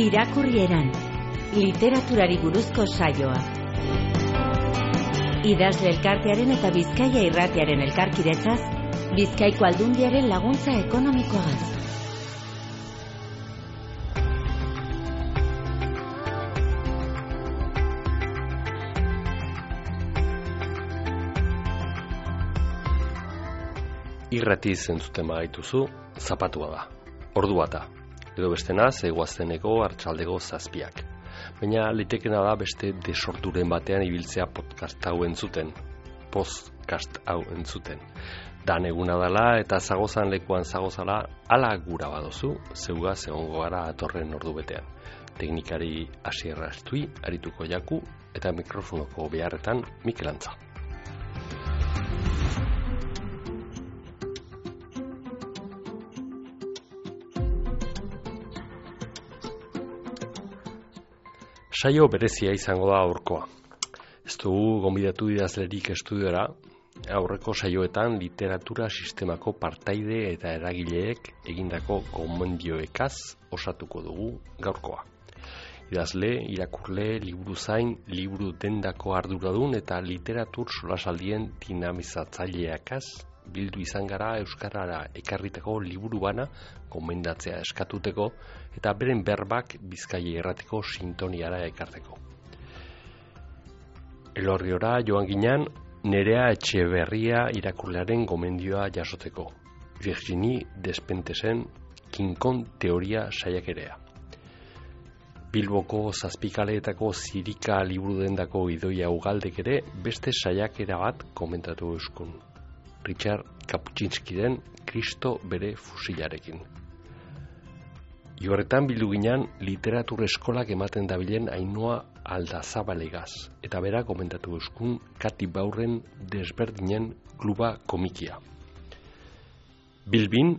Irakurrieran, literaturari buruzko saioa. Idazle elkartearen eta Bizkaia Irratiaren elkarkidetzaz, Bizkaiko Aldundiaren laguntza ekonomikoagaz. Irrati zentzuten bagaituzu, zapatua da, ordu bata, edo bestena zegoazteneko hartxaldego zazpiak. Baina litekena da beste desorduren batean ibiltzea podcast hau entzuten, Dan eguna dela eta zagozan lekuan zagozala, ala gura badozu, zeuga egongo gara atorren ordu betean. Teknikari Asier Astui, Arituko Jaku eta mikrofonoko beharretan Mikel Antza. Saio berezia izango da aurkoa. Ez dugu gonbidatu idazlerik estudiora, aurreko saioetan literatura sistemako partaide eta eragileek egindako gomendioekaz osatuko dugu gaurkoa. Idazle, irakurle, liburuzain, liburu dendako arduradun eta literatur solasaldien dinamizatzaileakaz bildu izan gara euskarara ekarritako liburu bana gomendatzea eskatuteko eta beren berbak Bizkaia Irratiko sintoniara ekarteko. Elorriora joan ginen Nerea Etxeberria irakurlearen gomendioa jasoteko. Virginie Despentesen Kinkon teoria saiakerea. Bilboko zazpikaleetako zirika liburu dendako idoia ugaldek ere beste saiakera bat komentatu euskun. Richard Kaputxinskiren Kristo bere fusilarekin. Horretan bildu ginen literatur eskolak ematen dabilen Ainhoa Aldazabalegaz, eta bera komentatu euskun Kati Baurren Desberdinen kluba komikia. Bilbin,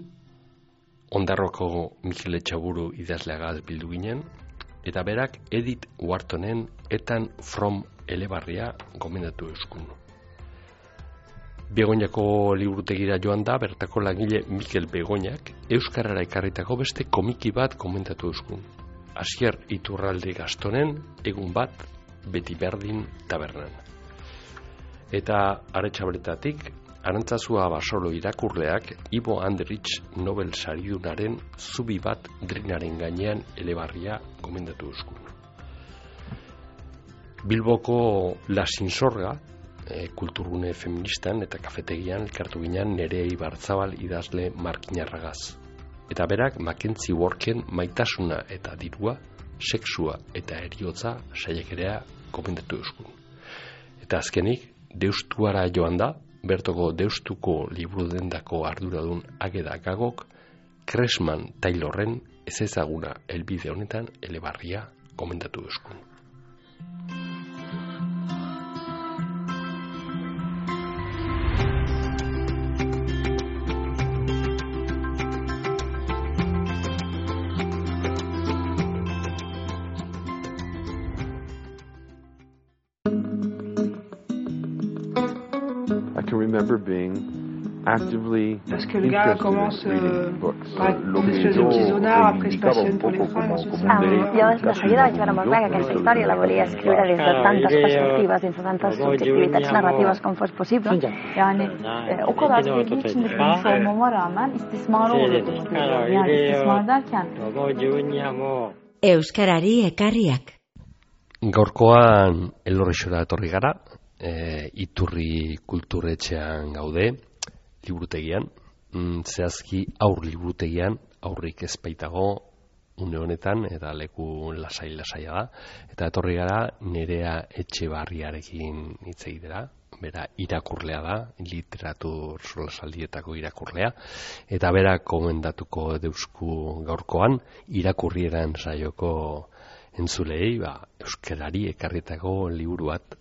Ondarroko Mikel Etxaburu idazleagaz bildu ginen, eta berak Edith Whartonen Etan From Elebarria komentatu euskun. Begoñako liburutegira joan da, bertako langile Mikel Begoñak euskarara ekarritako beste komiki bat komentatu euskun. Asier Iturralde Gastonen egun bat beti berdin tabernan. Eta Aretxabaletatik Arantzazua Basolo irakurleak Ibo Andrich Nobel saridunaren zubi bat drinaren gainean elebarria komentatu euskun. Bilboko La Sinsorga kulturgune feministan eta kafetegian elkartu ginen Nerea Ibarzabal idazle markinarragaz. Eta berak Mackenzie Worken Maitasuna eta dirua, sexua eta eriotza saiakerea komentatu euskun. Eta azkenik, Deustuara joan da, bertoko Deustuko liburu dendako arduradun Ageda Gagok, Cressman Taylorren ez ezaguna helbide honetan elebarria komentatu euskun. Parce que le gars commence par une espèce de petit zonard, après se passionne pour les fringues. Jo de seguida vaig veure molt clar que aquesta història la volia escriure des de tantes perspectives, des de tantes subjektivitats narratives com fos possible. Yani o kadar sevgi içinde büyümüş olmama rağmen istismara uğradığımı görüyorum. Yani istismar derken Euskarari ekarriak. Gaurkoan Elorrixora etorri gara, Iturri kulturetxean gaude, liburutegian, zehazki aur liburutegian, aurrik ez baitago une honetan, eta leku lasai-lasaia da, eta etorri gara Nerea Etxebarriarekin hitz egitera, bera irakurlea da, literatur solasaldietako irakurlea, eta bera komendatuko deusku gaurkoan, irakurrieran saioko entzulei, euskarari ekarritako liburu bat.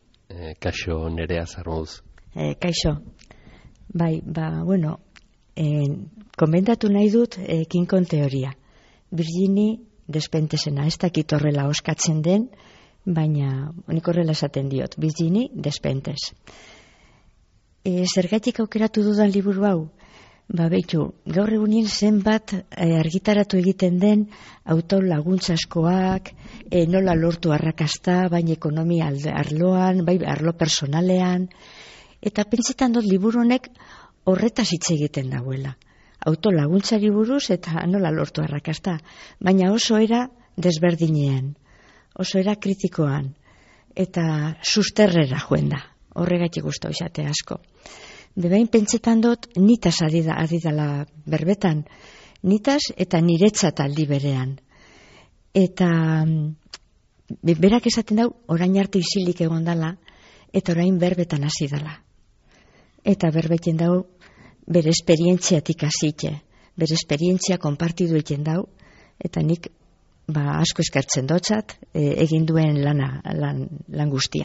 Kaixo Nerea Zarmoz. Kaixo. Bai, bueno, komentatu nahi dut Kinkon teoria. Virginie Despentesena, ez dakit horrela oskatzen den, baina nik horrela esaten diot, Virginie Despentes. Zergatik aukeratu dudan liburu hau? Beitu, gaur egunin zenbat argitaratu egiten den autolaguntzaskoak, nola lortu arrakasta, baina ekonomia arloan, bai arlo personalean, eta pentsetan dut liburu honek horretaz hitz egiten dagoela. Autolaguntzari buruz eta nola lortu arrakasta, baina oso era desberdinean, oso era kritikoan, eta susterrera joen da, horregatik gustau izate asko. Bebain pentsetan dut nitaz adidala berbetan, nitaz eta niretzat aldi berean. Eta berak esaten dau, orain arte isilik egon dala, eta orain berbetan hasi dala. Eta berbeten dau, bere esperientziatik hasite, bere esperientzia konpartidu egiten dau, eta nik asko eskertzen dotzat, egin duen lan guztia.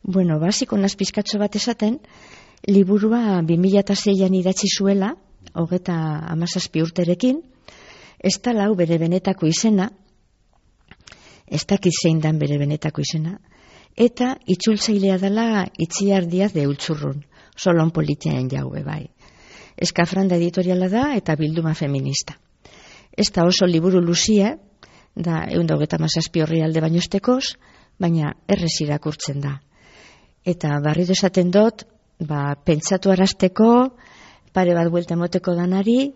Bueno, basiko nazpizkatzo bat esaten, liburua 2006an idatzi zuela, 37 urterekin, ez da lau bere benetako izena, ez dakit zein dan bere benetako izena, eta itzultzailea dela Itziar Diaz de Ultzurrun, solon politiaen jaue bai. Eskafranda editoriala da eta bilduma feminista. Ez da oso liburu luzia, da 137 orrialde baino estekoz, baina errez irakurtzen da. Eta barrido esaten dut, pentsatu arazteko, pare bat buelta emoteko danari,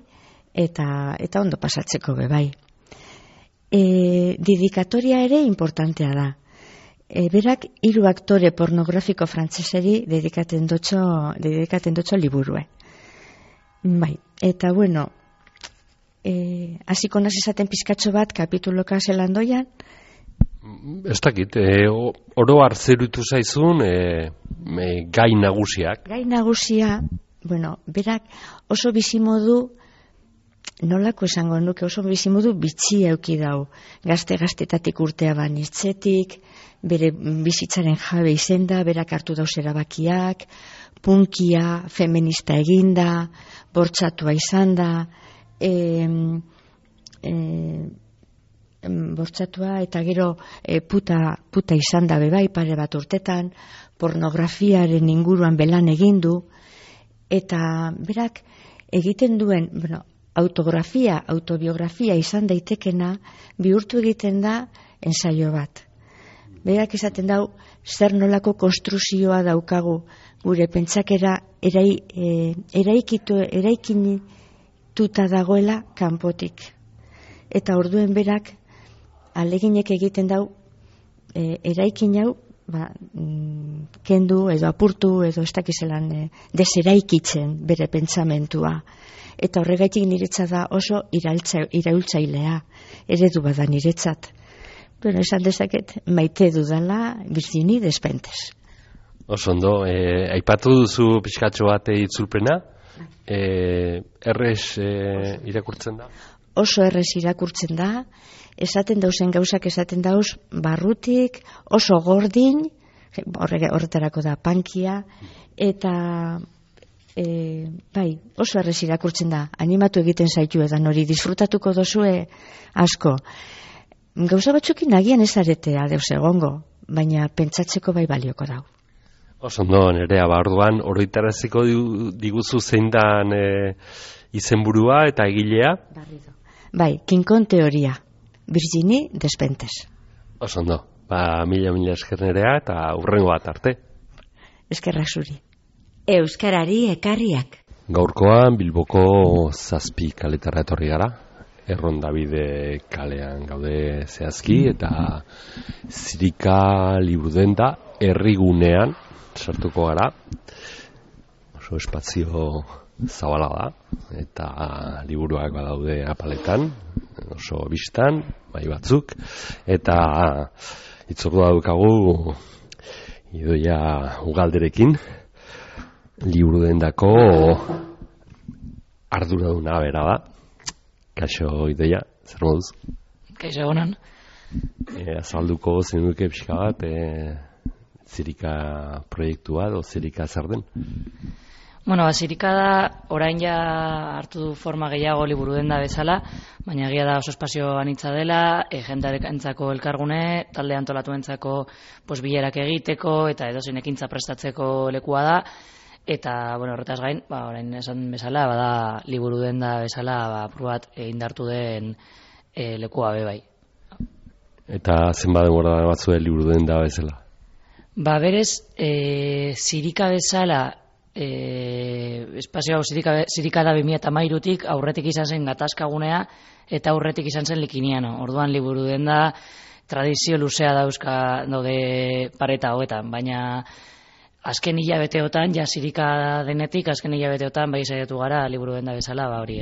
eta ondo pasatzeko bebai. Dedikatoria ere importantea da. Berak 3 aktore pornografiko frantzeseri dedikaten dotxo liburue. Bai, eta bueno, hasiko naz esaten pizkatxo bat kapituloka zelan doian. Ez dakit, oro hartzerutu zaizun gai nagusiak. Gai nagusia, bueno, berak oso bizimodu, nolako esango nuke, oso bizimodu bitxi euki dau. Gazte-gaztetatik urtea banitzetik, bere bizitzaren jabe izenda, berak hartu dauz erabakiak, punkia, feminista eginda, bortxatua izan da, bortxatua eta gero puta izan da bebai pare bat urtetan, pornografiaren inguruan belan egindu, eta berak egiten duen, autobiografia izan daitekena, bihurtu egiten da ensaio bat. Berak esaten dau, zer nolako konstruzioa daukagu gure pentsakera eraikinituta dagoela kanpotik. Eta orduen berak aleginek egiten dau eraikin hau kendu edo apurtu edo ez dakizelan deseraikitzen bere pentsamentua. Eta horregaitik niretzat da oso iraultzailea, eredu bada niretzat. Bueno, esan dezaket maite dudala Virginie Despentes. Osondo, aipatu duzu pixkatxo bat itzulpena, errez irakurtzen da? Oso errez irakurtzen da, esaten dauzen gauzak esaten dauz barrutik, oso gordin, horretarako da pankia, eta oso errez irakurtzen da, animatu egiten zaitu edan hori, disfrutatuko dozue asko. Gauza batzukin agian ez aretea deus egongo, baina pentsatzeko bai balioko dau. Osondo, Nerea, orduan, oroitaraziko diguzu zein dan izenburua eta egilea? Bai, Kinkon teoria, Virginie Despentes. Osondo, mila esker Nerea eta hurrengo bat arte. Eskerrak zuri. Euskarari ekarriak. Gaurkoan Bilboko 7 kaletara etorri gara. Errondabide kalean gaude zehazki eta Zirika liburudenda herrigunean sartuko gara. Oso espazio zabala da eta liburuak badaude apaletan, oso bistan, bai batzuk, eta itzordua daukagu Idoia Ugalderekin liburudendako arduraduna bera da. Kaixo Idoia, zer moduz? Kaixo egonan. Azalduko zenuke pixka bat Zirika proiektua edo Zirika zer den? Bueno, Zirika da orain ja hartu du forma gehiago liburudenda bezala, baina egia da oso espazio anitza dela, jendarentzako elkargune, talde antolatuentzako bilerak egiteko eta edozein ekintza prestatzeko lekua da. eta, horretaz gain, orain esan bezala, bada liburu denda bezala, probat indartu den lekua bai. Eta zenbat denbora batzue liburu denda bezala? Berez, zirika bezala, espazio hau zirika da 2013-tik, aurretik izan zen gatazkagunea, eta aurretik izan zen Likiniano. Orduan liburu denda tradizio luzea daude pareta hoetan, baina azken hilabeteotan, zirika denetik, azken hilabeteotan bai saiatu gara liburu denda bezala, hori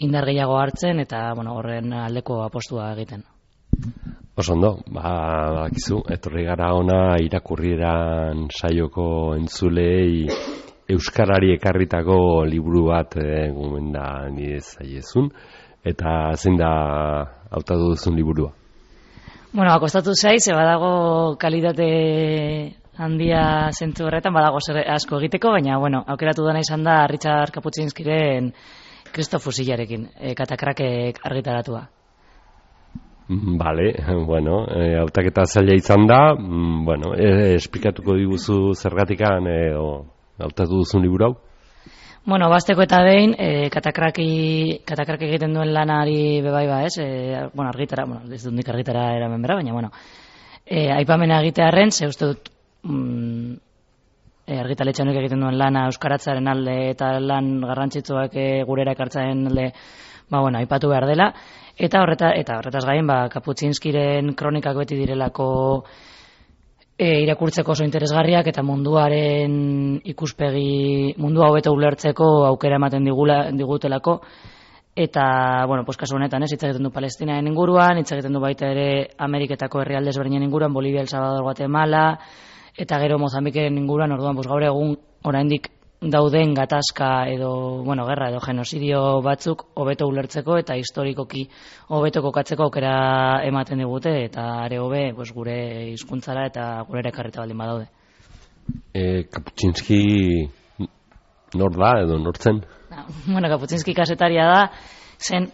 indar gehiago hartzen, eta horren aldeko apostua egiten. Oso ondo, badakizu, etorri gara ona irakurrieran saioko entzulei euskarari ekarritako liburu bat gomenda nire zaiezun, eta zein da hautatu duzun liburua? Akostatu zaiz, badago kalitate handia zentzu horretan, badago asko egiteko, baina, aukeratu dena izan da Richard Kapuscinskiren Kristo fusilarekin, Katakrakek argitaratua. Bale, hautaketa zaila izan da, esplikatuko diguzu zergatikan hautatu duzun liburu hau? Basteko eta behin, Katakrak egiten duen lanari bebai ez? Argitara, ez dut nik argitara eramen bera, baina, aipamena egitearren, ze uste dut argitaletxe honek egiten duen lana euskaratzaren alde eta lan garrantzitsuak gurera ekartzaren alde, aipatu behar dela. Eta horretaz gain, Kapuscinskiren kronikak beti direlako irakurtzeko oso interesgarriak eta munduaren ikuspegi, mundua hobeto ulertzeko aukera ematen digutelako. Eta, kasu honetan, hitz egiten du Palestinaren inguruan, hitz egiten du baita ere Ameriketako herrialde ezberdinen inguruan, Bolivia, El Salvador, Guatemala, eta gero Mozambikeren inguruan, orduan, gaur egun oraindik dauden gatazka edo, gerra edo genozidio batzuk hobeto ulertzeko eta historikoki hobeto kokatzeko aukera ematen digute, eta are hobe gure hizkuntzara eta gure ekarrita baldin badaude. Kapuscinski nor da edo nortzen? Kapuscinski kasetaria da, zen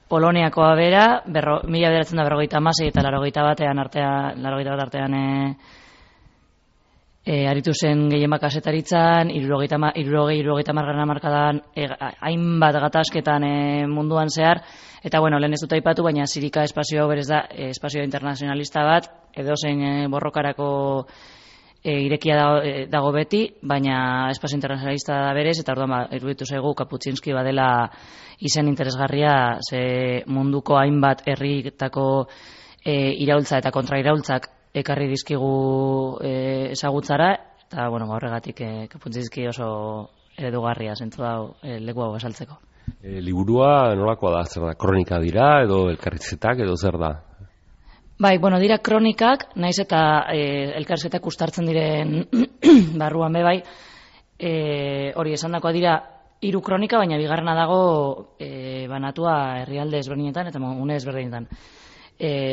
Poloniakoa bera, 1956 eta 81 artean aritu zen gehienbat kazetaritzan, 60 hamarkadan hainbat gatazketan munduan zehar, eta lehen ez dut aipatu, baina zirika espazio hau berez da espazio internazionalista bat, edozein borrokarako irekia dago beti, baina espazio internazionalista da berez, eta orduan iruditu zaigu Kapuscinski badela izen interesgarria, ze munduko hainbat herritako iraultza eta kontrairaultzak ekarri dizkigu ezagutzara, eta horregatik Kapuscinski oso eredugarria zentzu hau leku hau esaltzeko. Liburua nolakoa da, zer da, kronika dira edo elkarrizetak edo zer da? Dira kronikak, naiz eta elkarrizetak ustartzen diren barruan bebai, hori esandakoa dira 3 kronika, baina bigarrena dago banatua herrialde ezberdinetan eta une ezberdinetan.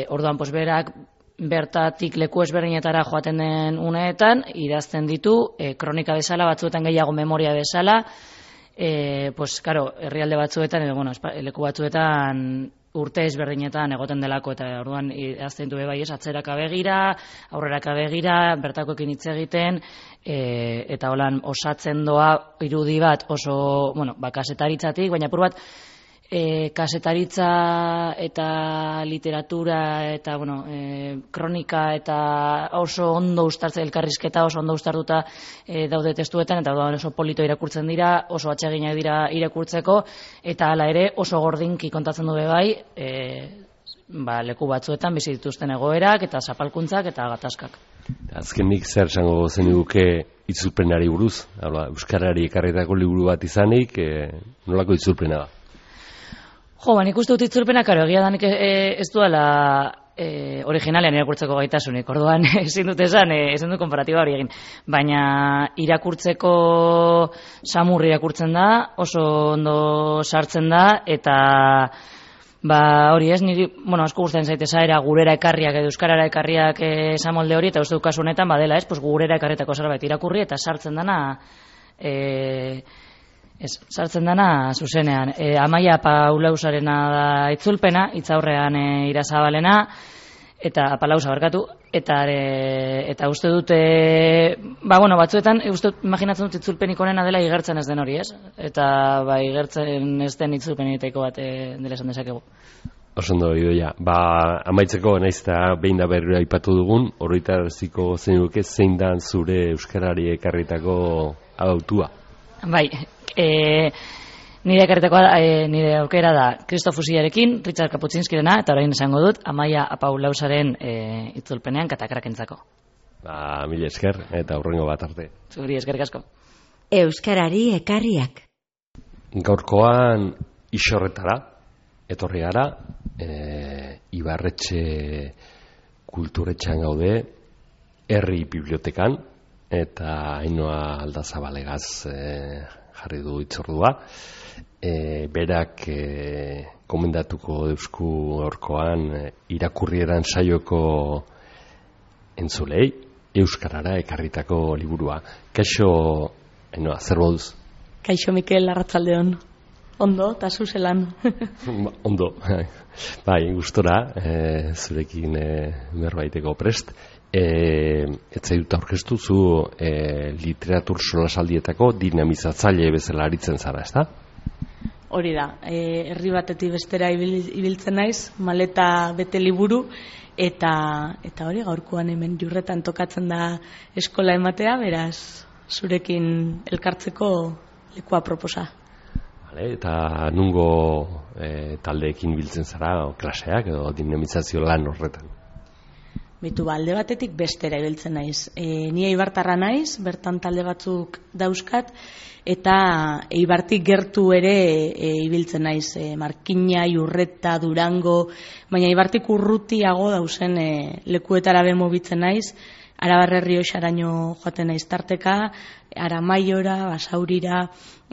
Orduan, berak bertatik leku ezberdinetara joaten den uneetan, idazten ditu, kronika bezala, batzuetan gehiago memoria bezala, herrialde batzuetan, edo, leku batzuetan urte ezberdinetan egoten delako, eta orduan idazten du bai ez, atzeraka begira, aurreraka begira, bertakoekin hitz egiten, eta holan osatzen doa irudi bat oso, kasetaritzatik, baina apur bat, kasetaritza eta literatura eta kronika eta oso ondo ustartzen, elkarrizketa oso ondo ustartuta daude testuetan, eta oso polito irakurtzen dira, oso atseginak dira irakurtzeko, eta hala ere oso gordinki kontatzen du bai leku batzuetan bizi dituzten egoerak eta zapalkuntzak eta gatazkak. Azkenik zer esango zeniguke itzulpenari buruz? Euskarari ekarritako liburu bat izanik, nolako itzulpena da? Nik uste dut itzulpenak, egia da nik ez duela originalean irakurtzeko gaitasunik, orduan ezin dut esan, ezin dut konparatiba hori egin, baina irakurtzeko samur irakurtzen da, oso ondo sartzen da, eta hori ez, niri, asko gustatzen zaite zaera gurera ekarriak edo euskarara ekarriak esamolde hori, eta uste dut kasu honetan, badela ez, gurera ekarretako zerbait irakurri, eta sartzen dana sartzen dana zuzenean. Amaia Paulausarena da itzulpena, hitzaurrean Irazabalena, eta apalauza barkatu, eta uste dute, batzuetan, imaginatzen dut itzulpenik onena dela igertzen ez den hori, ez? Eta igertzen ez den itzulpen egiteko bat dela esan dezakegu. Osondo, Idoia. Amaitzeko, naiz eta behin da berriro aipatu dugun, horretaraziko zeinuke zein da zure euskarari ekarritako autua? Bai, nire ekarritakoa, nire aukera da Kristof Fusillarekin, Richard Kaputzinskirena, eta orain esango dut, Amaia Apaulausaren itzulpenean katakrakentzako. Mila esker, eta hurrengo bat arte. Zuri, eskerrik asko. Euskarari ekarriak. Gaurkoan Isorretara etorri gara, Ibarretxe kulturetxean gaude, herri bibliotekan, eta Ainhoa Aldazabalegaz jarri du itzordua. Berak komendatuko deusku gaurkoan irakurrieran saioko entzulei, euskarara ekarritako liburua. Kaixo, Ainhoa, zer moduz? Kaixo, Mikel, arratsaldeon. Ondo, eta zuzelan. Ondo, bai, gustora, zurekin berbaiteko prest. Etzai dut aurkeztu zu literatur solasaldietako dinamizatzaile bezala aritzen zara, ezta? Hori da, herri batetik bestera ibiltzen naiz, maleta bete liburu, eta hori gaurkoan hemen Jurretan tokatzen da eskola ematea, beraz, zurekin elkartzeko lekua proposa. Eta nungo taldeekin biltzen zara, klaseak edo dinamizazio lan horretan? Bitu, alde batetik bestera ibiltzen naiz. Ni Eibartarra naiz, bertan talde batzuk dauzkat, eta Eibartik gertu ere ibiltzen naiz. Markina, Jurreta, Durango, baina Eibartik urrutiago dauzen lekuetara mugitzen naiz, Arabar Errioxaraino joaten naiz tarteka, Aramaiora, Basaurira,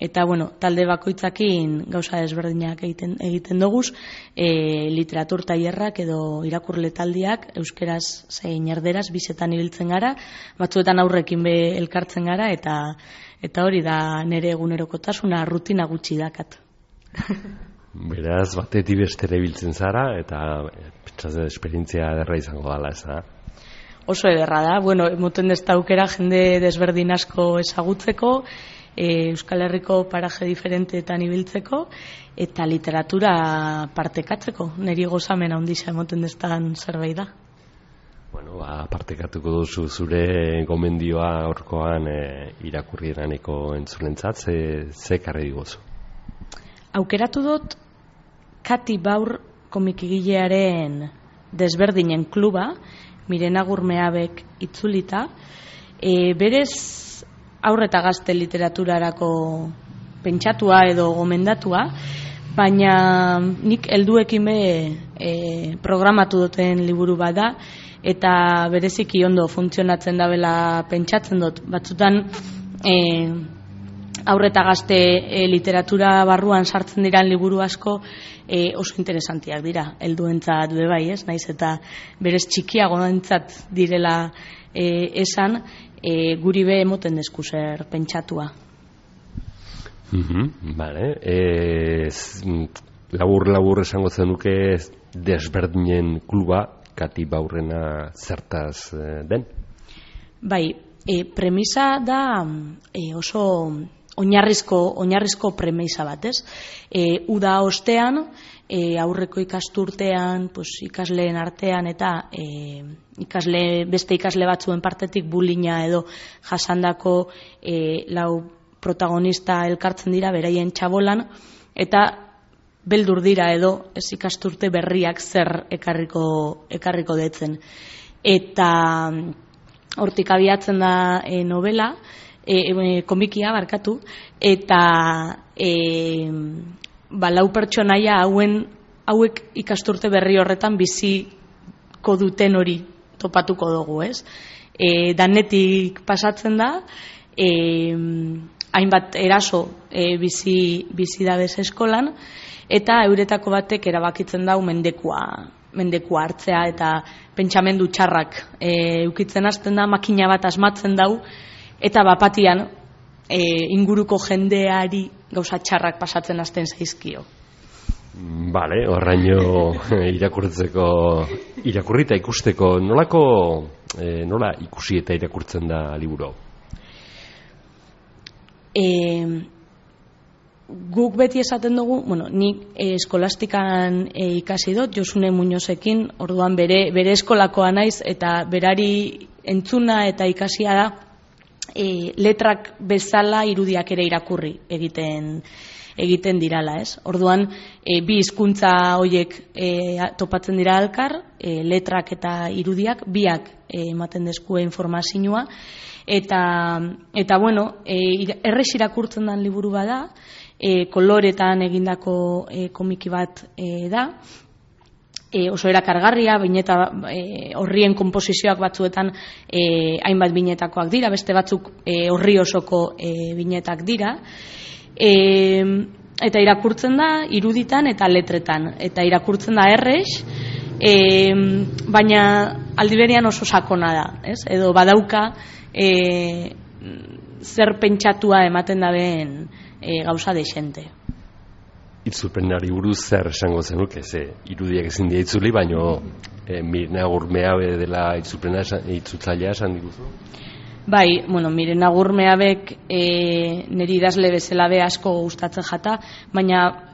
eta talde bakoitzakin gauza desberdinak egiten doguz, literatur tailerrak edo irakurle taldiak, euskeraz zein erderaz, bizetan ibiltzen gara, batzuetan aurrekin be elkartzen gara, eta hori da nire egunerokotasuna, rutina gutxi dakat. Beraz, batetik bestera ibiltzen zara, eta pentsatzen esperientzia ederra izango dela, ez da? Oso ederra da, emoten dezta aukera jende desberdin asko ezagutzeko, Euskal Herriko paraje diferenteetan ibiltzeko, eta literatura partekatzeko, niri gozamen handia emoten deztan zerbait da. Partekatuko duzu zure gomendioa horkoan irakurrieraneko entzulentzat, ze karri digozu? Aukeratu dut Kati Baur komikigilearen desberdinen kluba, Mirena Gurmeabek itzulita, berez haur eta gazte literaturarako pentsatua edo gomendatua, baina nik helduekin programatu duten liburu bat da, eta bereziki ondo funtzionatzen dabela pentsatzen dut. Batzutan haur eta gazte literatura barruan sartzen diran liburu asko oso interesantiak dira, helduentzat bai, ez? Naiz eta berez txikiagoentzat direla esan, guri be emoten desku zer pentsatua. Labur esango zenuke desberdinen kluba, Kati Baurrena zertaz den? Bai, premisa da oso oinarrizko premisa bat, ez? Uda ostean, aurreko ikasturtean, ikasleen artean eta beste ikasle batzuen partetik bullyinga edo jasandako lau protagonista elkartzen dira beraien txabolan, eta beldur dira edo ez ikasturte berriak zer ekarriko detzen. Eta hortik abiatzen da novela, komikia barkatu, eta lau pertsonaia hauek ikasturte berri horretan biziko duten hori topatuko dugu, ez? Danetik pasatzen da, hainbat eraso bizi dabez eskolan, eta euretako batek erabakitzen dau mendekua hartzea, eta pentsamendu txarrak eukitzen hasten da, makina bat asmatzen dau, eta bapatian inguruko jendeari gauza txarrak pasatzen hasten zaizkio. Bale, horraino irakurrita ikusteko, nola ikusi eta irakurtzen da liburu? Guk beti esaten dugu, nik eskolastikan ikasi dut, Josune Muñozekin, orduan bere eskolakoa naiz, eta berari entzuna eta ikasia da, letrak bezala irudiak ere irakurri egiten dirala, ez? Orduan, bi hizkuntza horiek topatzen dira elkar, letrak eta irudiak, biak ematen deskue informazioa, eta bueno, errez irakurtzen den liburu bada, koloretan egindako komiki bat da, oso erakargarria, bineta horrien konposizioak batzuetan hainbat binetakoak dira, beste batzuk horri osoko binetak dira, eta irakurtzen da iruditan eta letretan, eta irakurtzen da errez, baina aldiberian oso sakona da, ez? Edo badauka zer pentsatua ematen dabeen gauza dexente. Itzulpenari buruz zer esango zenuke, irudiak ezin dira itzuli, baino Mirena Gurmeabe dela itzultzailea esan diguzu? Bai, Mirena Gurmeabek niri idazle bezala be asko gustatzen jata, baina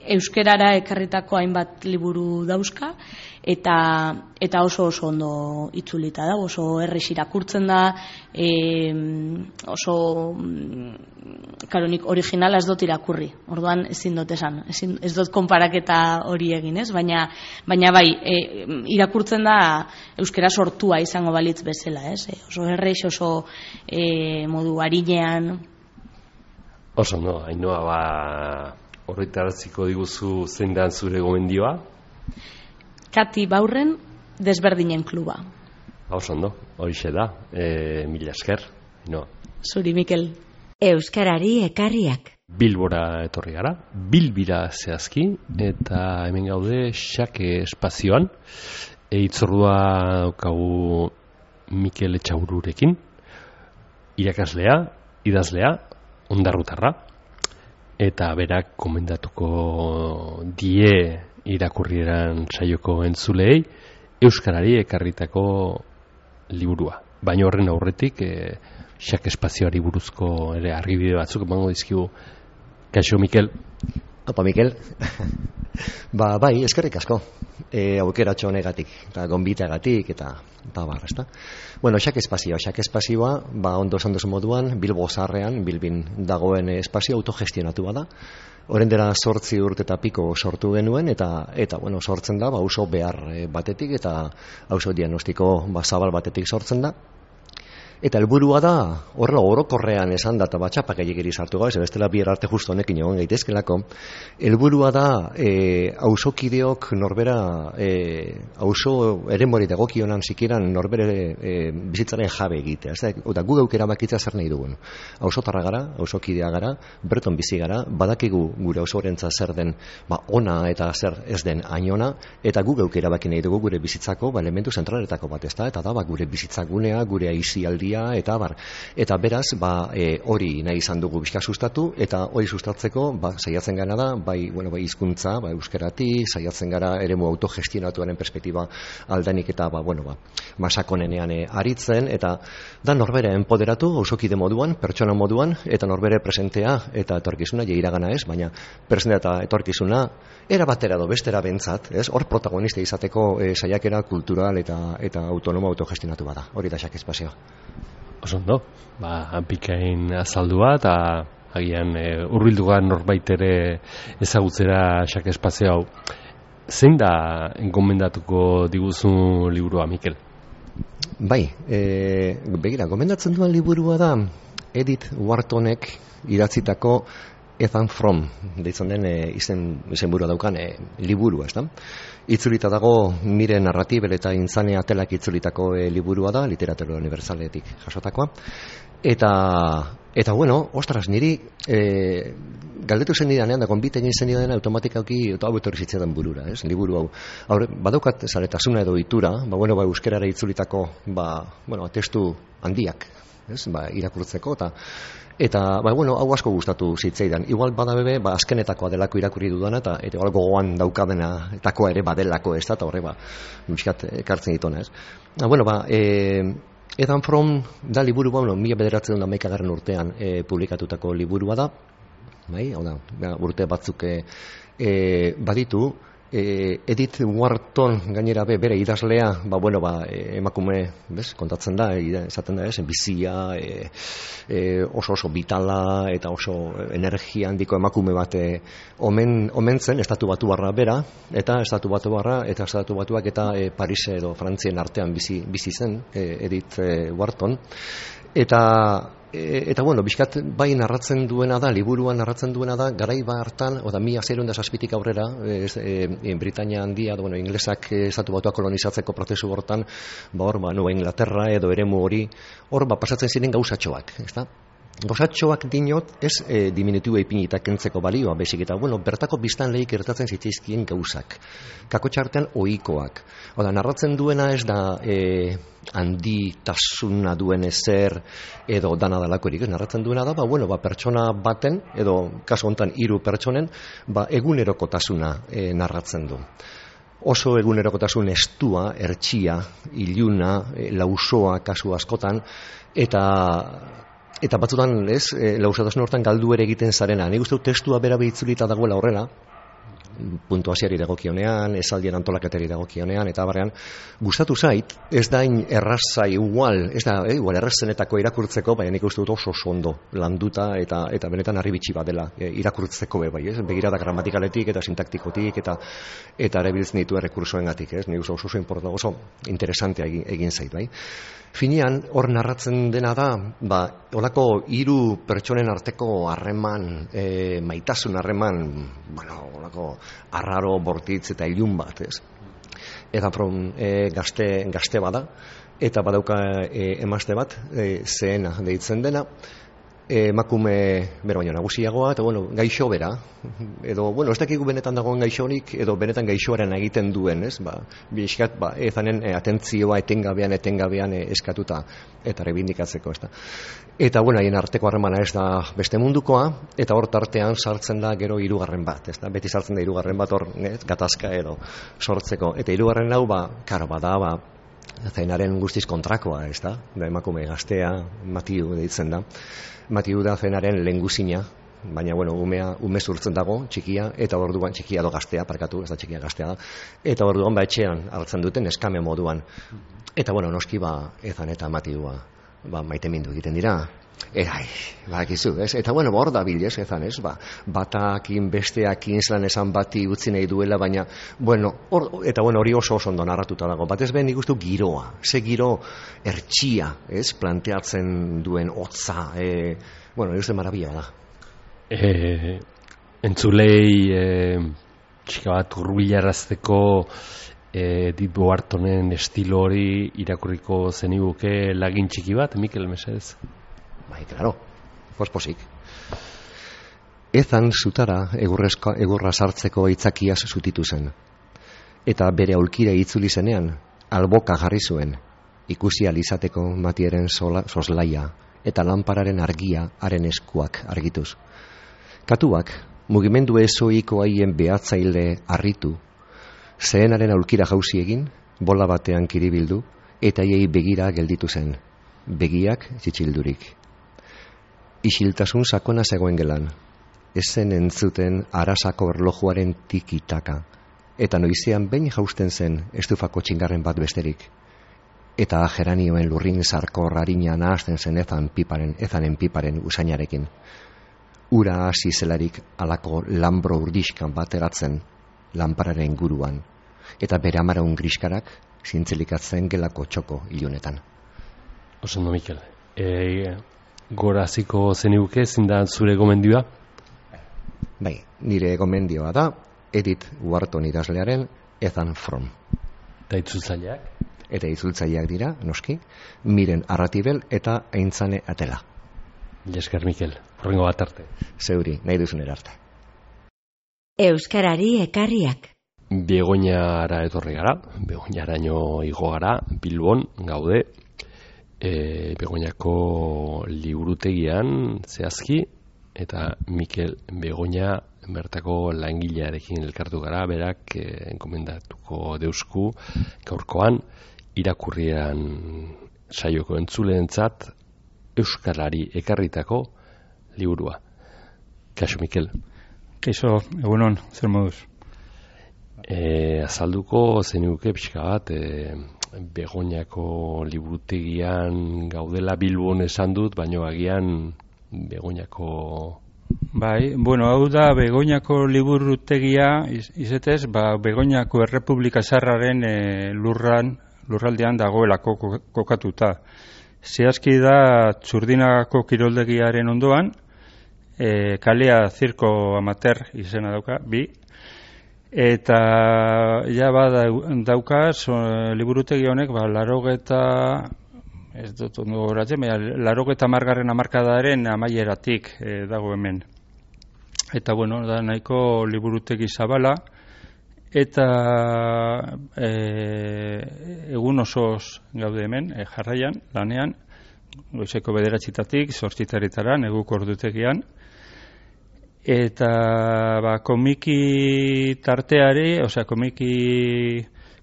euskerara ekarritako hainbat liburu dauzka, eta oso ondo itzulita da, oso errez irakurtzen da, oso nik originala ez dut irakurri, orduan ezin dut esan, ez dut konparaketa hori egin, ez? Baina bai, irakurtzen da euskera sortua izango balitz bezala, ez? Oso errez, oso modu arinean. Oso no, Ainhoa, horretaratziko diguzu zein da zure gomendioa? Kati Baurren Desberdinen kluba. Oso ondo, horixe da, mila esker. No. Zuri, Mikel. Euskarari ekarriak. Bilbora etorri gara, Bilbira zehazki, eta hemen gaude Xake espazioan, hitzordua daukagu Mikel Etxaururekin, irakaslea, idazlea, ondarrutarra, eta berak komendatuko die irakurrieran saioko entzuleei euskarari ekarritako liburua. Baina horren aurretik Xake espazioari buruzko ere argibide batzuk emango dizkigu. Kaixo, Mikel. Apa, Mikel. Bai, eskerrik asko. Aukeratxo honegatik, eta gonbiteagatik, eta bar, ezta? Bueno, Xake espazioa, ondo esan duzu moduan, Bilbo zaharrean, Bilbin dagoen espazio autogestionatu da. Orain dela 8 urte eta piko sortu genuen, eta bueno, sortzen da, auzo behar batetik, eta auzo diagnostiko zabal batetik sortzen da. Eta helburua da, horrela orokorrean esan da, eta batxapak egiri sartu gau, ez bestela bier arte justo honekin egon gaitezkelako, helburua da, auzokideok norbera, auzo eremori dagokionan zikiran norbere bizitzaren jabe egitea. Eta gu geukera bakitza zer nahi dugun. Auzotarra gara, auzokidea gara, berton bizi gara, badakigu gure auzorentzat zer den ona eta zer ez den ainona, eta gu geukera baki nahi dugu gure bizitzako elementu zentraletako bat, ez da? Eta da, gure bizitzagunea, gure aizialdia, eta beraz, hori nahi izan dugu bizka sustatu, eta hori sustatzeko, saiatzen gara da, bai hizkuntza, euskeratik, saiatzen gara eremu autogestionatuaren perspektiba aldanik eta, masakonenean aritzen, eta da norbere enpoderatu, auzokide moduan, pertsona moduan, eta norbere presentea eta etorkizuna, iragana ez, baina presentea eta etorkizuna, era batera do bestera bentzat, hor protagonista izateko saiakera kultural eta autonomo autogestionatu bada. Hori da Xake espazioa. Oso ondo, pikain azaldua eta agian hurbildugan norbait ere ezagutzera Xake espazio hau. Zein da gomendatuko diguzu liburua, Mikel? Bai, begira, gomendatzen duen liburua da Edith Whartonek idatzitako Ethan Frome, deitzen den izenburua daukan liburua, ez da? Itzulita dago Mire Narratibel eta Intzane Atelak itzulitako liburua da, Literatura Universaletik jasotakoa. Eta bueno, ostras, niri galdetu zen nidanean, da konbite egin zen nidanean automatikauki hau etorri zitzaidan burura, ez? Liburu hau. Badaukat zaletasuna edo itura, euskerara itzulitako testu handiak irakurtzeko, eta bueno, hau asko gustatu zitzaidan. Igual bada bebe, azkenetakoa delako irakurri dudana, eta igual gogoan daukadena etakoa ere badelako, ez da, eta horre, miskat ekartzen ditona, ez. Bueno, Ethan Frome da liburu, 1911 urtean publikatutako liburua da, hau da, urte batzuk baditu. Edith Wharton gainera bere idazlea, emakume, kontatzen da, esaten da, bizia, oso vitala eta oso energia handiko emakume bat omen zen, Estatu Batuarra bera, eta Estatu Batuak eta Paris edo Frantzien artean bizi zen, Edith Wharton, eta bueno, bizkat bai narratzen duena da, liburuan narratzen duena da, garai hartan, 1607 aurrera, Britania handia, inglesak Estatu Batuak kolonizatzeko prozesu hortan, Nueva Inglaterra edo eremu hori, hor pasatzen ziren gauzatxoak, ezta? Gauzatxoak dinot, ez diminutibo ipinita kentzeko balioa, bezik eta, bertako biztanleek gertatzen zitzaizkien gauzak. Kakotxartean ohikoak. Narratzen duena ez da handitasuna duen ezer edo dana dalakorik, narratzen duena da, pertsona baten, edo kasu honetan 3 pertsonen, egunerokotasuna narratzen du. Oso egunerokotasun estua, hertsia, iluna, lausoa kasu askotan, eta batzutan, lausotasun hortan galdu ere egiten zarena. Nik uste testua bera itzulita dagoela horrela, puntuazioari dagokionean, esaldien antolaketari dagokionean, eta barrean, gustatu zait, ez da erraza igual, ez da errazenetako irakurtzeko, baina nik uste dut oso ondo landuta, eta benetan harribitxi bat dela irakurtzeko begirada gramatikaletik eta sintaktikotik, eta erabiltzen ditu errekursoengatik, nik uste oso interesantea egin zait, bai. Finean, hor narratzen dena da, holako 3 pertsonen arteko harreman, maitasun harreman, holako arraro, bortitz eta ilun bat, ez? Eta gazte bada, eta badauka emazte bat, zehena deitzen dena, emakume bera baino nagusiagoa, eta gaixo bera, edo, ez dakigu benetan dagoen gaixonik, edo benetan gaixoaren egiten duen, ez? Bizkat, ezanen atentzioa etengabean eskatuta, eta rebindikatzeko, ez da. Eta, haien arteko harremana ez da beste mundukoa, eta hor tartean sartzen da gero 3. bat, ez da. Beti sartzen da 3. bat hor, gatazka edo sortzeko. Eta 3. hau, karo bada, zainaren guztiz kontrakoa, ez da. Emakume gaztea, Matiu deitzen da. Matiu da zenaren lehengusina, baina, ume zurtzen dago, txikia, eta orduan txikia edo gaztea, parkatu, ez da txikia gaztea da, eta orduan etxean hartzen duten eskame moduan. Eta, noski, ezan eta Matiua, maite mindu egiten dira. Badakizu, ez? Eta, hor da bilez, ezan, ez? Batakin, besteakin, zelan esan bati utzi nahi duela, baina, hori oso ondo narratuta dago. Batez behen ikustu giroa, ze giro hertsia, ez? Planteatzen duen hotza, uste marabila da. Entzulei, txika bat hurbilarazteko Edith Whartonen estilo hori irakurriko zeniguke lagin txiki bat, Mikel, mesedez? Claro, posposik. Ethan zutara egurra sartzeko aitzakiaz zutitu zen. Eta bere aulkira itzuli zenean, alboka jarri zuen, ikusi alizateko Matieren soslaia eta lanpararen argia haren eskuak argituz. Katuak, mugimendu ezoiko haien behatzaile harritu, zehenaren aulkira jauzi egin, bola batean kiribildu, eta hiei begira gelditu zen, begiak txitxildurik. Isiltasun sakona zegoen gelan, ezen entzuten arasako erlojuaren tikitaka, eta noizean behin jausten zen estufako txingarren bat besterik, eta geranioen lurrin zarkor harina nahazten zen ezanen piparen usainarekin. Ura hasi zelarik alako lambro urdiskan bat eratzen lanpararen guruan, eta bere amaraun griskarak zintzilikatzen gelako txoko ilunetan. Osondo, Mikel. Goraziko zeniguke, zindan zure gomendioa? Bai, nire gomendioa da Edith Wharton idazlearen Ethan Frome. Eta itzultzaileak? Eta itzultzaileak dira, noski, Miren Arratibel eta Aintzane Atela. Esker, Mikel, horrengo bat arte. Zeuri, nahi duzun arte. Euskarari ekarriak. Begoñara etorri gara, Begoñaraino igo gara, Bilbon, gaude. Begoñako liburutegian zehazki, eta Mikel Begoña bertako langilearekin elkartu gara, berak enkomendatuko deusku gaurkoan irakurrian saioko entzuleentzat euskarari ekarritako liburua. Kaixo, Mikel. Kaixo, egunon, zer moduz? Azalduko zenuke pixka bat, Begoñako liburutegian gaudela Bilbon esan dut, baina agian Begoñako... Bai, bueno, hau da Begoñako liburutegia, izetez, Begoñako Errepublika Zaharraren lurraldean dagoelako kokatuta. Zehazki da Txurdinagako kiroldegiaren ondoan, kalea Zirko Amateur izena dauka, bi, eta ja daukaz liburutegi honek 80. margarren hamarkadaren amaieratik dago hemen. Eta bueno, da nahiko liburutegi zabala, eta egun osoz gaude hemen, jarraian, lanean, goizeko 9:00 8:00 neguko ordutegian. Eta komiki tarteari, osea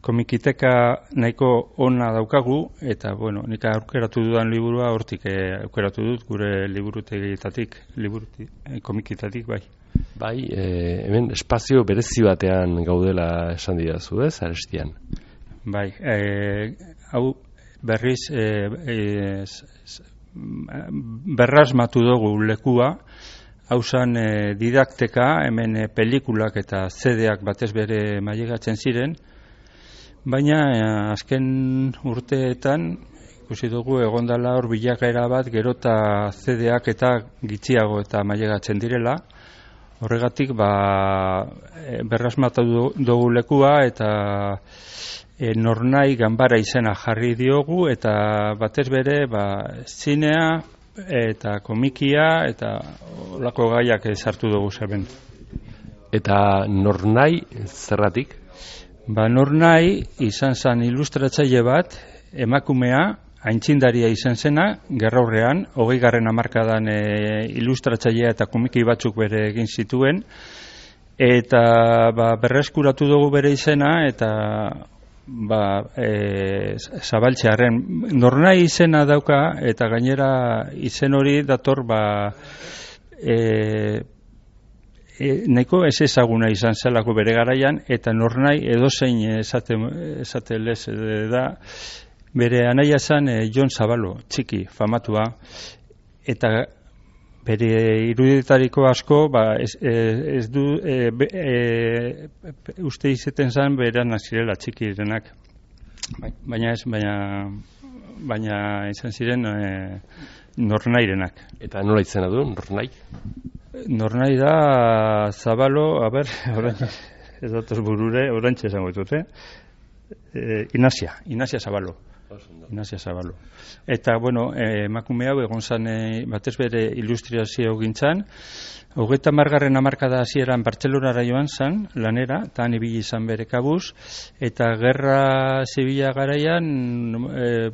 komikiteka nahiko ona daukagu, eta bueno, nik aukeratu dudan liburua hortik aukeratu dut gure liburutegietatik, komikitatik, bai. Bai, hemen espazio berezi batean gaudela esan didazu, ez, Arestian? Bai, hau berriz berrasmatu dugu lekua. Hausan didakteka, hemen pelikulak eta CD-ak batez bere mailegatzen ziren, baina azken urteetan ikusi dugu egondala hor bilakaera bat gerota CD-ak eta gitxiago eta mailegatzen direla. Horregatik berrasmatu dugu lekua eta Nornai Ganbara izena jarri diogu, eta batez bere zinea eta komikia eta olako gaiak sartu dugu zeben. Eta Nornai zerratik? Nornai izan zen ilustratzaile bat, emakumea, aintzindaria izan zena, gerraurrean, 20. hamarkadan ilustratzailea eta komiki batzuk bere egin zituen, eta berreskuratu dugu bere izena, eta zabaltzearen Nornai izena dauka, eta gainera izen hori dator nahiko ez ezaguna izan zelako bere garaian, eta Nornai edozein esate lez da, bere anaia zen Jon Zabalo, txiki, famatua, eta bere iruditariko asko ez du uste izeten zen beran zirela txikirenak, baina izan ziren Nornairenak. Eta nola izena du, Nornai? Nornai da Zabalo, ez datoz burure, orantxe esango ditut, Inazia Zabalo. Eta, bueno, emakume hau egon zan batez bere ilustrazio gintzan, 30. hamarkada hasieran Bartzelonara joan zan, lanera, eta han ibili izan bere kabuz, eta gerra zibila garaian,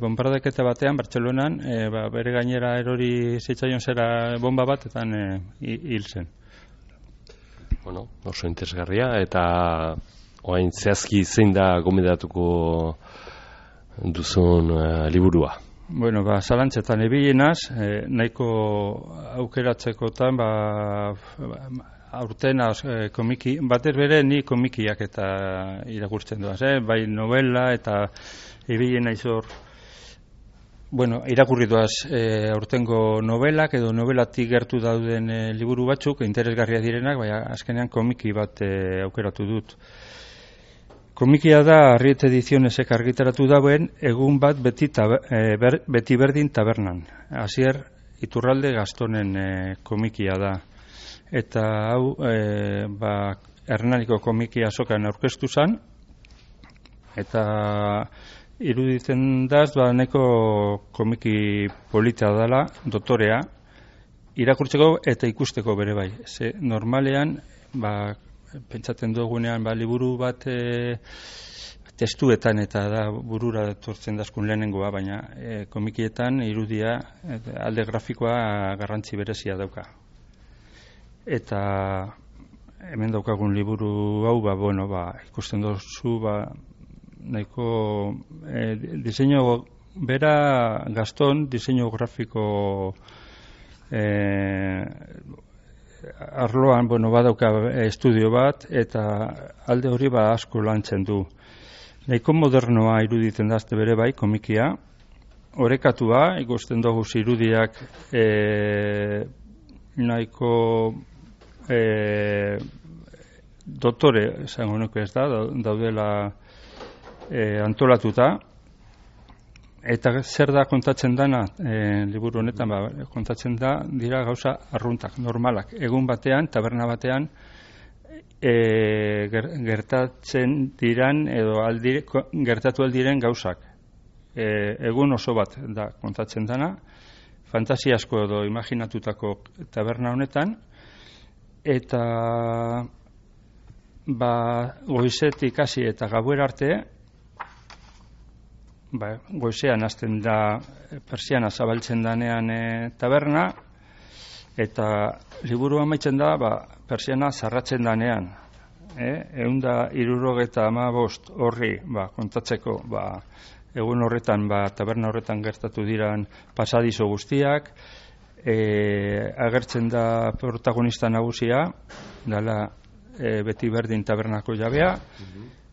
bombardaketa batean, Bartzelonan, bere gainera erori zitzaion zera bomba bat, eta hil zen. Bueno, oso interesgarria, eta orain zehazki zein da gomendatuko duzun liburua? Bueno, zalantzetan ebilenaz, nahiko aukeratzekotan, aurten komiki, batez bere ni komikiak eta irakurtzen duaz, bai novela eta ebilena izor, bueno, irakurri duaz aurtengo novelak edo novelatik gertu dauden liburu batzuk, interesgarria direnak, bai azkenean komiki bat aukeratu dut. Komikia da Arriet Edizionesek argitaratu dauen egun bat beti berdin tabernan. Asier Iturralde Gastonen komikia da. Eta hau Hernaniko komikia azokan aurkeztu zan, eta iruditzen daz neko komiki polita dela, dotorea, irakurtzeko eta ikusteko bere bai. Ze normalean, pentsatzen dugunean liburu bat testuetan eta da burura etortzen dazkun lehenengoa, baina komikietan irudia alde grafikoa garrantzi berezia dauka. Eta hemen daukagun liburu hau, ikusten duzu, nahiko diseinu bera Gaston, diseinu grafiko arloan, badauka estudio bat, eta alde hori asko lantzen du. Nahiko modernoa iruditen dazte bere bai, komikia, orekatua, ikusten dugu irudiak nahiko dotore, esango nuke ez da, daudela antolatuta, eta zer da kontatzen dana, liburu honetan, kontatzen dira gauza arruntak, normalak. Egun batean, taberna batean, gertatzen diran, edo gertatu aldiren gauzak. Egun oso bat da kontatzen dana, fantasiasko edo imaginatutako taberna honetan, eta goizetik hasi eta gauera arte, goizean hasten da persiana zabaltzen danean taberna, eta liburu amaitzen da persiana zarratzen danean. 175 horri kontatzeko egun horretan, taberna horretan gertatu diran pasadizo guztiak, agertzen da protagonista nagusia, dala beti berdin tabernako jabea,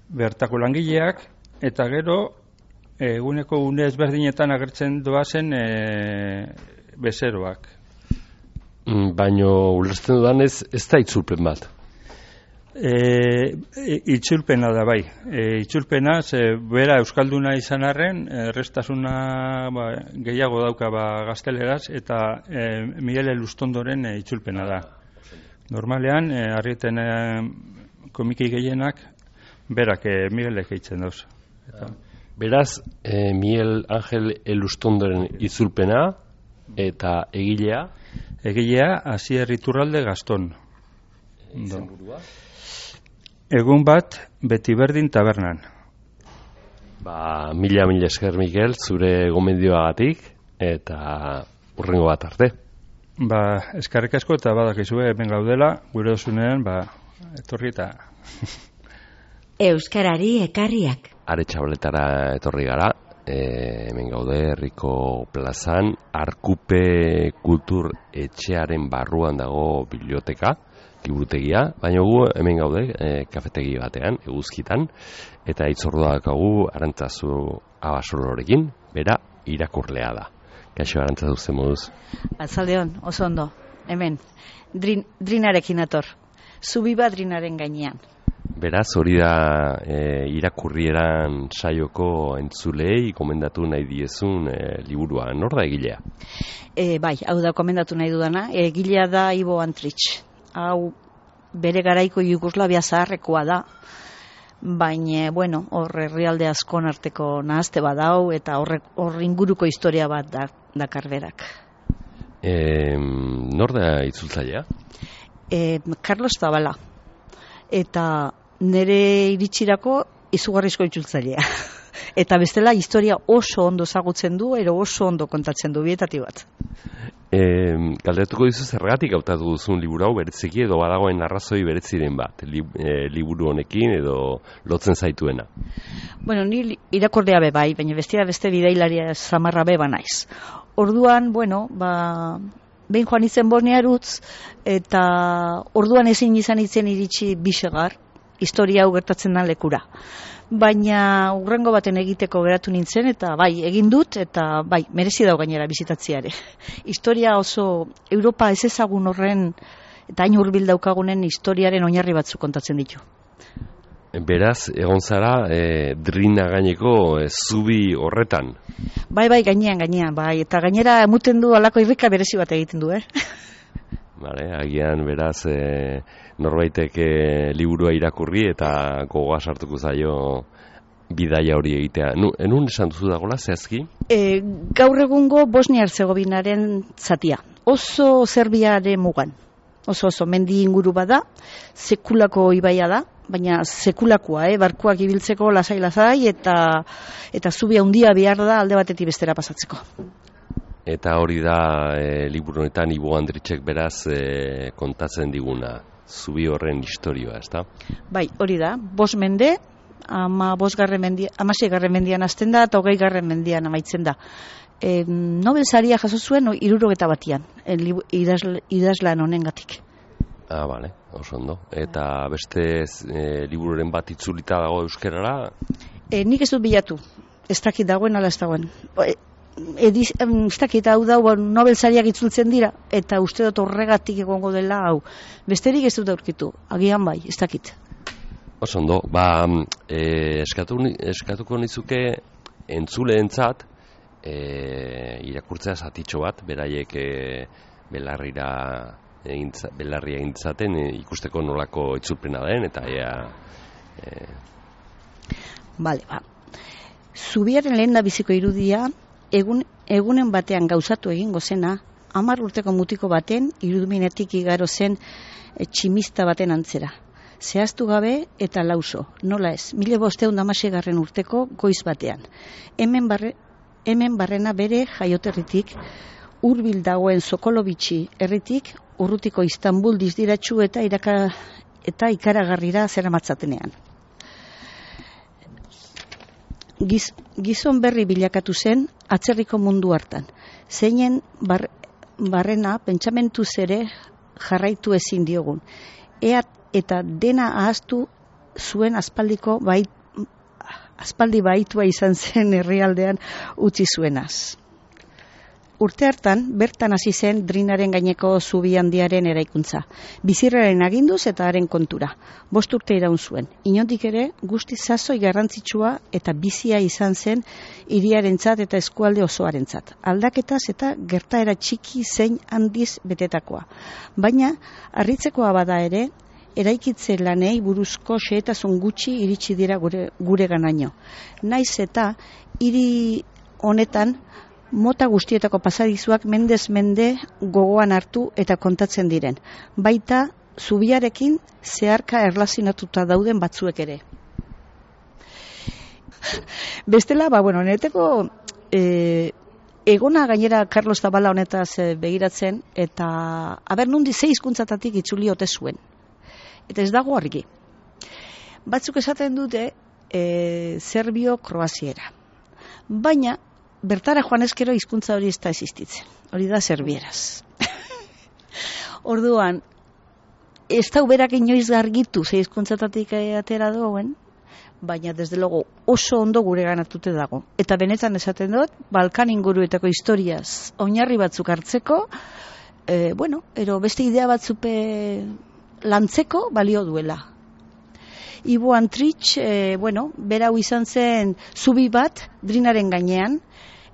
bertako langileak, eta gero eguneko une ezberdinetan agertzen doazen bezeroak. Baino ulertzen dudanez ez da itzulpen bat. Itzulpena da bai. Itzulpena, bera euskalduna izan arren, errestasuna gehiago dauka gazteleraz, eta Miguel Elustondoren itzulpena da. Normalean, Arrieten komiki gehienak, berak Miguelek eitzen dauz. Beraz, Miguel Ángel Elustondoren itzulpena eta egilea? Egilea, Asier Iturralde Gaston. Egun bat, beti berdin tabernan. Mila esker, Miguel, zure gomendioagatik, eta hurrengo bat arte. Eskerrik asko eta badakizue hemen gaudela, gure dozunean, etorri eta... Euskarari ekarriak. Aretxabaletara etorri gara, hemen gaude herriko plazan, Arkupe Kultur Etxearen barruan dago biblioteka, liburutegia, baina gu hemen gaude kafetegi batean, eguzkitan, eta itzordua dakagu Arantzazu Abasolorekin, bera irakurlea da. Kaixo Arantzazu, zen moduz? Atzaldeon, oso ondo, hemen, drinarekin ator, zubiba drinaren gainean. Beraz, hori da irakurrieran saioko entzulei komendatu nahi diezun liburua. Nor da egilea? Bai, hau da komendatu nahi dudana. Egilea da Ivo Antrich. Hau bere garaiko Jugoslavia zaharrekoa da. Baina, hor herrialde askon arteko nahazte badau eta hor inguruko historia bat dakar berak. Nor da itzultzailea? Carlos Zabala. Eta nire iritsirako izugarrizko itzultzailea. Eta bestela historia oso ondo ezagutzen du, ero oso ondo kontatzen du, bietati bat. Galdetuko dizu zergatik hautatu duzun liburu hau bereziki edo badagoen arrazoi bereziren bat, liburu honekin edo lotzen zaituena? Ni irakorlea be bai, baina beste bidailaria zamarra be naiz. Orduan, behin joan izen Bosniarutz, eta orduan ezin izan itzen iritsi Bisegar, historia hau gertatzen den lekura. Baina urrengo baten egiteko geratu nintzen, eta egin dut, eta merezi dau gainera bizitatziare. Historia oso Europa ez ezagun horren, eta hain hurbil daukagunen historiaren oinarri batzuk kontatzen ditu. Beraz, egon zara, drina gaineko zubi horretan? Gainean, eta gainera emuten du alako irrika berezi bat egiten du, Agian, beraz, norbaitek liburua irakurri eta gogoa sartuko zaio bidaia hori egitea. Enun esan duzu dagoela, zehazki? Gaur egungo Bosnia-Herzegovinaren zatia. Oso Serbiaren mugan. oso mendi inguru bada, sekulako ibaia da, baina sekulakoa, barkuak ibiltzeko lasai eta zubi handia behar da alde batetik bestera pasatzeko. Eta hori da liburu honetan Ibo Andritxek beraz kontatzen diguna, zubi horren historioa, ezta? Bai, hori da, 5 mende, 16. mendian hasten da eta 20. mendian amaitzen da. Nobel saria jaso zuen 61 idazlan honengatik. Bale, oso ondo. Eta beste libururen bat itzulita dago euskerara? Nik ez dut bilatu, ez dakit dagoen ala ez dagoen. Ez dakit hau da, Nobel sariak itzultzen dira, eta uste dut horregatik egongo dela hau. Besterik ez dut aurkitu, agian bai, ez dakit. Oso ondo, eskatuko nizuke entzuleentzat irakurtzea zatitxo bat, beraiek belarria egintzaten ikusteko nolako itzulpena den, eta Bale, Zubiaren lehen da biziko irudia, egunen batean gauzatu egingo zena, 10 urteko mutiko baten iruduminetik igaro zen tximista baten antzera. Zehaztu gabe eta lauso, nola ez, 1516 urteko goiz batean. Hemen barrena bere jaioterritik, hurbil dagoen Sokolovitxi herritik, urrutiko Istanbul dizdiratxu eta ikaragarrira zeramatzatenean. Gizon berri bilakatu zen atzerriko mundu hartan. Zeinen barrena pentsamentu ere jarraitu ezin diogun. Eta dena ahaztu zuen aspaldi baitua izan zen herrialdean utzi zuenaz. Urte hartan, bertan hasi zen Drinaren gaineko zubi handiaren eraikuntza. Bizirraren aginduz eta haren kontura. 5 urte iraun zuen. Inondik ere, guzti sasoi garrantzitsua eta bizia izan zen hiriarentzat eta eskualde osoarentzat. Aldaketaz eta gertaera txiki zein handiz betetakoa. Baina, harritzekoa bada ere, eraikitze lanei buruzko xehetasun gutxi iritsi dira gure ganaino. Naiz eta hiri honetan mota guztietako pasadizuak mendez mende gogoan hartu eta kontatzen diren. Baita zubiarekin zeharka erlazionatuta dauden batzuek ere. Bestela, neteko egona gainera Carlos Zabala honetaz begiratzen eta nundi 6 hizkuntzatatik itzuli ote zuen. Eta ez dago argi. Batzuk esaten dute serbio-kroaziera. Baina bertara joan ezkero hizkuntza hori ez da existitzen. Hori da serbieraz. Orduan, ez da uberak inoiz gargitu ze hizkuntzatatik atera dagoen, baina desde logo oso ondo gure ganatute dago. Eta benetan esaten dut, Balkan inguruetako historiaz oinarri batzuk hartzeko, ero beste idea batzupe lantzeko balio duela. Ibo Andritx, berau izan zen zubi bat Drinaren gainean,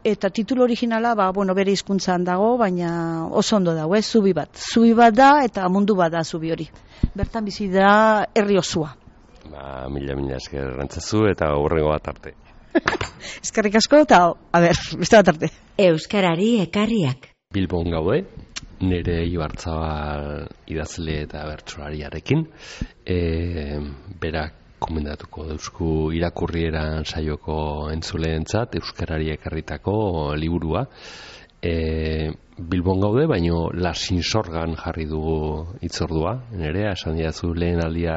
eta titulu originala, bere hizkuntzan dago, baina oso ondo dago, zubi bat. Zubi bat da eta mundu bat da zubi hori. Bertan bizi da herri osua. Mila esker errantzazu eta horrengo bat arte. Eskerrik asko eta, beste bat arte. Euskarari ekarriak. Bilbon gaude, nire Ibarzabal idazle eta bertsolariarekin, berak komendatuko dauzku irakurrieran saioko entzuleentzat euskarari ekarritako liburua. Bilbon gaude, baino Lasinsorgan jarri dugu hitzordua, nerea, esan didazu lehen aldia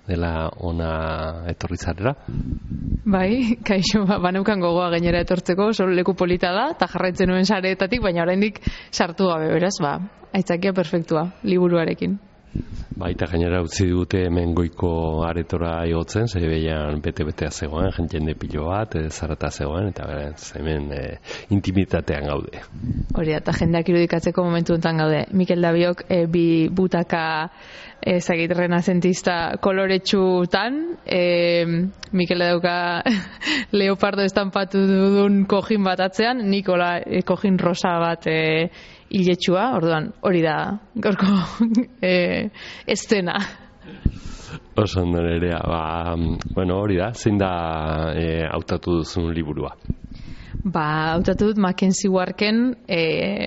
dela ona etorri zarela? Bai, kaixo, baneukan gogoa gainera etortzeko, solo leku polita da, eta jarraitzen nuen sareetatik, baina oraindik sartu gabe, beraz, aitzakia perfektua, liburuarekin. Baita gainera utzi dute hemen goiko aretora igotzen, zei behian bete-betea zegoen, jende pilo bat, zarata zegoen, eta hemen intimitatean gaude. Hori, eta jendeak irudikatzeko momentu enten gaude. Mikel Dabiok bi butaka renazentista koloretsutan, Mikel dauka leopardo estampatu dudun kojin bat atzean, Nikola kojin rosa bat hiletsua, orduan hori da gorko estena. Oso ondo nerea, hori da, zein da hautatu duzun liburua? hautatu dut Mackenzie Warken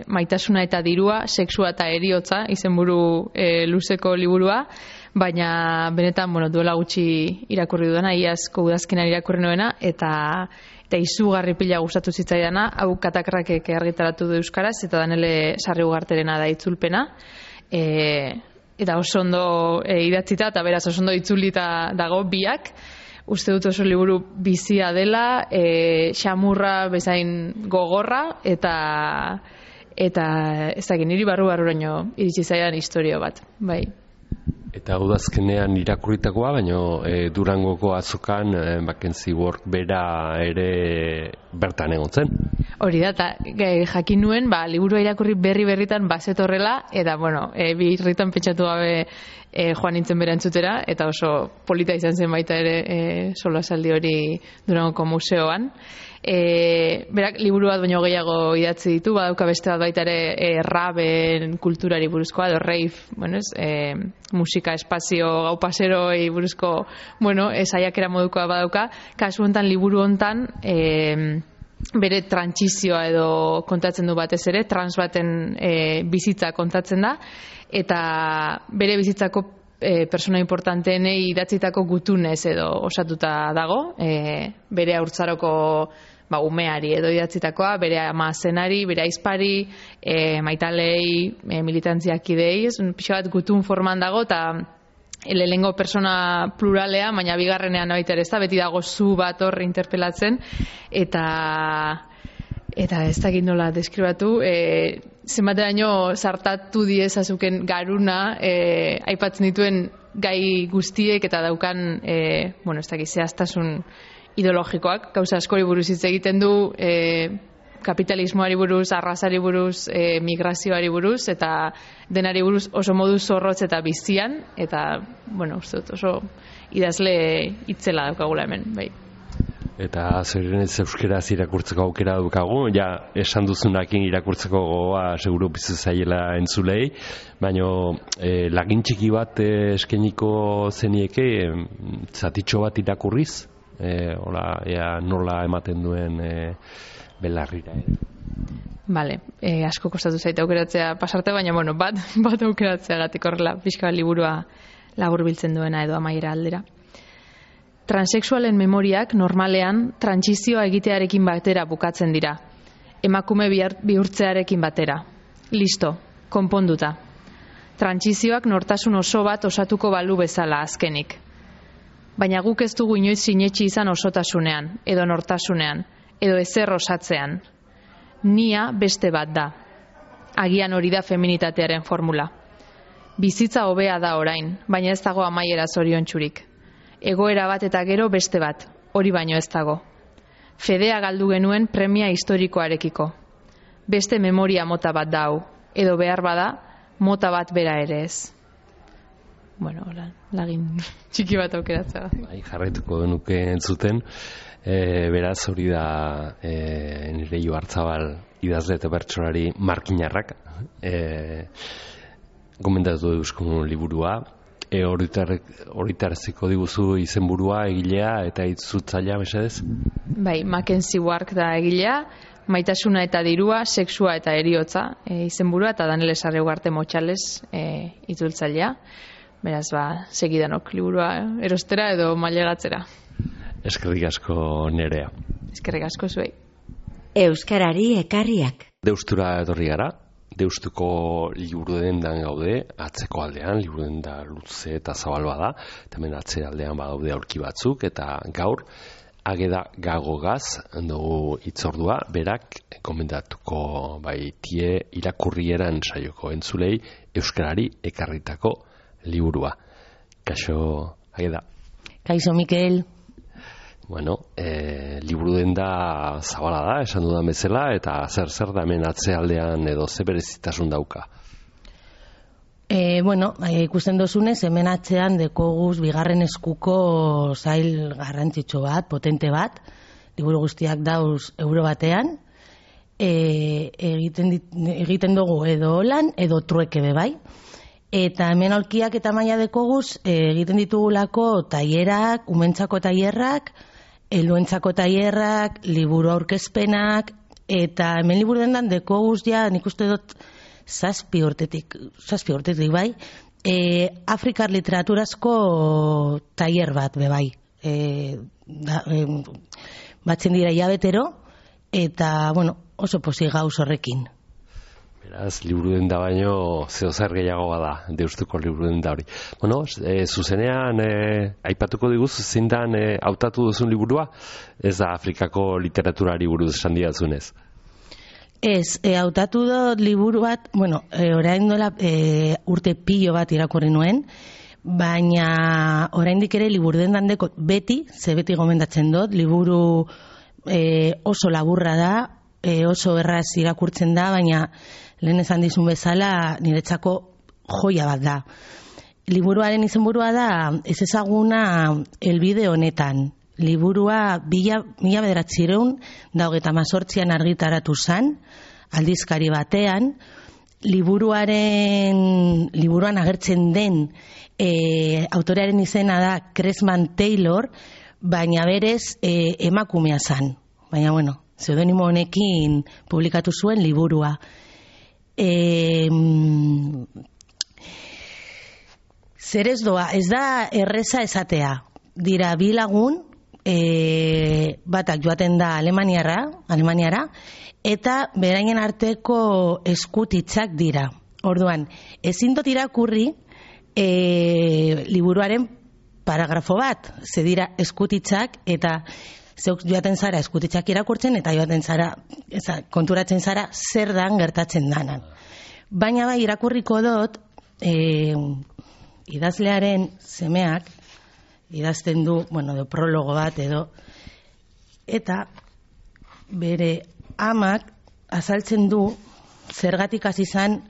Maitasuna eta dirua, sexua eta heriotza, izenburu luzeko liburua, baina benetan, duela gutxi irakurri dudana, iazko udazkenan irakurri nuena, eta izugarri pila gustatu zitzaidana, hau Katakrakek argitaratu du euskaraz, eta Danele Sarri Ugarterena da itzulpena, eta oso ondo idatzita, eta beraz oso ondo itzulita dago biak. Uste dut oso liburu bizia dela, xamurra bezain gogorra, eta ez dakit, niri barru-barruraino iritsi zaidan historio bat, bai. Eta udazkenean irakurritakoa, baina Durangoko azokan Mackenzie Ward bera ere bertan egon zen. Hori da, eta jakin nuen, liburua irakurri berritan bazetorrela, eta birritan pentsatu gabe joan nintzen bera entzutera, eta oso polita izan zen baita ere solasaldi hori Durangoko museoan. Berak liburu bat baino gehiago idatzi ditu, badauka beste bat baita ere raben kulturari buruzkoa, edo rave, musika, espazio, gau paseroi buruzko, saiakera modukoa badauka. Kasu hontan, liburu hontan, bere trantsizioa edo kontatzen du batez ere, trans baten bizitza kontatzen da, eta bere bizitzako persona importanteenei idatzitako gutunez edo osatuta dago, bere haurtzaroko umeari edo idatzitakoa, bere ama zenari, bere aizpari, maitalei, militantziakidei, pixo bat gutun forman dago, eta lehenengo persona pluralea, baina bigarrenean baita ere ez da, beti dago zu bat hor interpelatzen, eta ez dakit nola deskribatu, zenbateraino sartatu diezazuken garuna, aipatzen dituen gai guztiek eta daukan, ez dakit, zehaztasun ideologikoak, gauza askori buruz hitz egiten du, kapitalismoari buruz, arrazari buruz, migrazioari buruz, eta denari buruz oso modu zorrotz eta bizian, eta, uste dut, oso idazle itzela daukagula hemen, bai. Eta zerrenez euskeraz irakurtzeko aukera dukagu, esan duzunakin irakurtzeko gogoa seguru bizu zaiela entzulei, baina lagin txiki bat eskeniko zenieke zatitxo bat irakurriz, nola ematen duen belarrira. Bale, asko kostatu zaita aukeratzea pasarte, baina bat aukeratzea gatik horrela, pixka liburua laburbiltzen duena edo amaiera aldera. Transexualen memoriak normalean trantsizioa egitearekin batera bukatzen dira. Emakume bihurtzearekin batera. Listo, konponduta. Trantsizioak nortasun oso bat osatuko balu bezala azkenik. Baina guk ez dugu inoiz sinetsi izan osotasunean, edo nortasunean, edo ezer osatzean. Nia beste bat da. Agian hori da feminitatearen formula. Bizitza hobea da orain, baina ez dago amaiera zoriontsurik. Egoera bat eta gero beste bat, hori baino ez dago. Fedea galdu genuen premia historikoarekiko. Beste memoria mota bat da hau, edo behar bada, mota bat bera ere ez. Lagin txiki bat aukeratzea. Jarraituko denuke entzuten, beraz hori da nire Joartzabal idazle eta bertsolari markinarrak gomendatu duzkun liburua. Horitaraziko diguzu izenburua, egilea eta itzultzailea, mesedez? Bai, Mackenzie Ward da egilea, Maitasuna eta dirua, sexua eta heriotza izenburua, eta Danele Sarri Ugarte Motxales itzultzailea. Beraz, segidanok liburua erostera edo mailegatzera. Eskerrik asko Nerea. Eskerrik asko zuei. Euskarari ekarriak. Deustura etorri gara. Deustuko liburu dendan gaude, atzeko aldean, liburu denda luze eta zabal bada, eta hemen atze aldean badaude aurki batzuk, eta gaur, Ageda Gagogaz dugu itzordua, berak komendatuko tie irakurrieran saioko entzulei euskarari ekarritako liburua. Kaixo, Ageda. Kaixo, Mikel. Liburu denda zabala da, esan dudan bezala, eta zer da hemen atzealdean edo ze berezitasun dauka? Ikusten dozunez, hemen atzean dekoguz bigarren eskuko zail garrantzitsu bat, potente bat, liburu guztiak dauz euro batean, egiten dugu edo lan, edo trueke bebai. Eta hemen aulkiak eta maila dekoguz egiten ditugulako tailerak, umentzako tailerrak, helduentzako tailerrak, liburu aurkezpenak, eta hemen liburu dendan dekoguz ja, nik uste dut, 7 urtetik bai, Afrikar literaturazko tailer bat, bai. Batzen dira hilabetero, eta, bueno, oso pozik gauz horrekin. Beraz, liburu denda baino zeozer gehiago bada, Deustuko liburu denda hori. Bueno, zuzenean aipatuko diguzu zindan hautatu duzun liburua, ez da Afrikako literaturari buruz esan didatzunez. Ez, hautatu dut liburu bat, bueno, orain dola urte pilo bat irakurri nuen, baina oraindik ere liburu dendan deko beti gomendatzen dut, liburu oso laburra da, oso erraz irakurtzen da, baina lehen esan dizun bezala niretzako joia bat da. Liburuaren izenburua da ez ezaguna helbide honetan. Liburua 1928an argitaratu zen, aldizkari batean. Liburuan agertzen den autorearen izena da Cresman Taylor, baina berez emakumea zen. Baina, bueno, pseudonimo honekin publikatu zuen liburua. Zer ez doa, ez da erreza esatea. Dira bi lagun, batak joaten da Alemaniara, eta berainen arteko eskutitzak dira. Orduan, ezin dut irakurri liburuaren paragrafo bat, ze dira eskutitzak, eta zeuk joaten zara eskutitzak irakurtzen, eta joaten zara, konturatzen zara zer dan gertatzen danan. Baina bai, irakurriko dut, idazlearen semeak, idazten du, bueno, prologo bat edo, eta bere amak azaltzen du zergatik hasi izan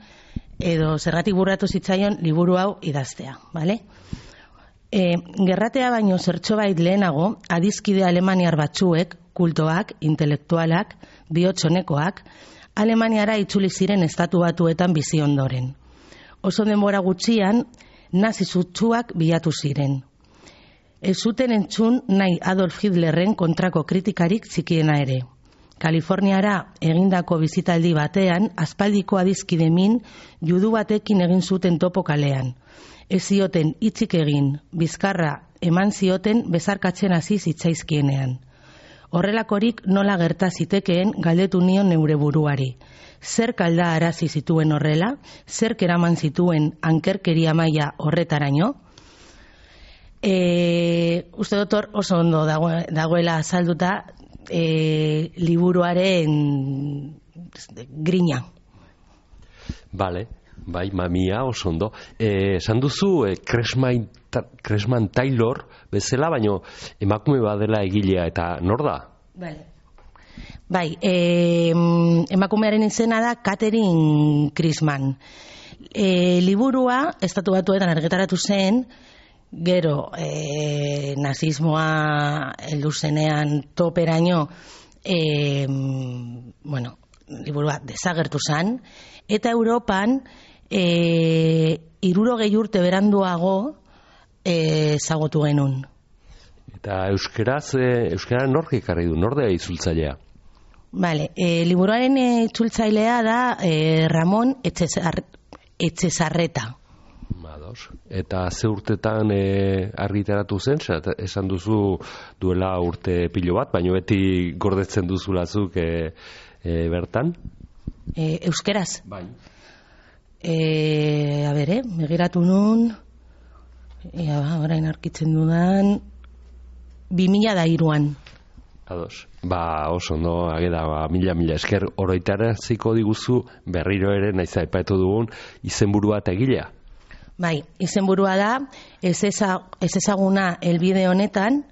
edo zergatik burratu zitzaion liburu hau idaztea, bale? Gerratea baino zertxobait lehenago, adizkide alemaniar batzuek, kultoak, intelektualak, bihotxonekoak, Alemaniara itzuli ziren estatu batuetan bizi ondoren. Oso denbora gutxian, nazi sutsuak bilatu ziren. Ez zuten entzun nahi Adolf Hitlerren kontrako kritikarik txikiena ere. Kaliforniara egindako bizitaldi batean, aspaldiko adizkide min, judu batekin egin zuten topo kalean. Ez zioten hitzik egin, bizkarra eman zioten bezarkatzen hasi zitzaizkienean. Horrelakorik nola gerta zitekeen galdetu nion neure buruari. Zer kalda arazi zituen horrela, zer eraman zituen ankerkeria maila horretaraino? Uste dut oso ondo dagoela azalduta liburuaren grina. Bale, bai, mamia oso ondo. Esan duzu Cresman Taylor bezala, baino emakume badela egilea, eta nor da? Bai, emakumearen izena da Catherine Cresman. Liburua estatu batuetan argitaratu zen, gero nazismoa heldu zenean toperaino, bueno, liburua desagertu zen, eta Europan 60 urte beranduago ezagutu genuen. Eta euskara nork ekarri du, nordea itzultzailea? Vale, liburuaren itzultzailea da Ramon Etxezarreta. Eta ze urtetan argitaratu zen, esan duzu duela urte pilo bat, baina beti gordetzen duzulazuk bertan? Euskeraz? Bai. Begiratu nun, orain arkitzen dudan, 2003an. Ados. Oso, no, ageda, mila esker oroitaraziko diguzu berriro ere naiz aipatu dugun izenburua eta egilea. Bai, izenburua da, ez ezaguna helbide honetan,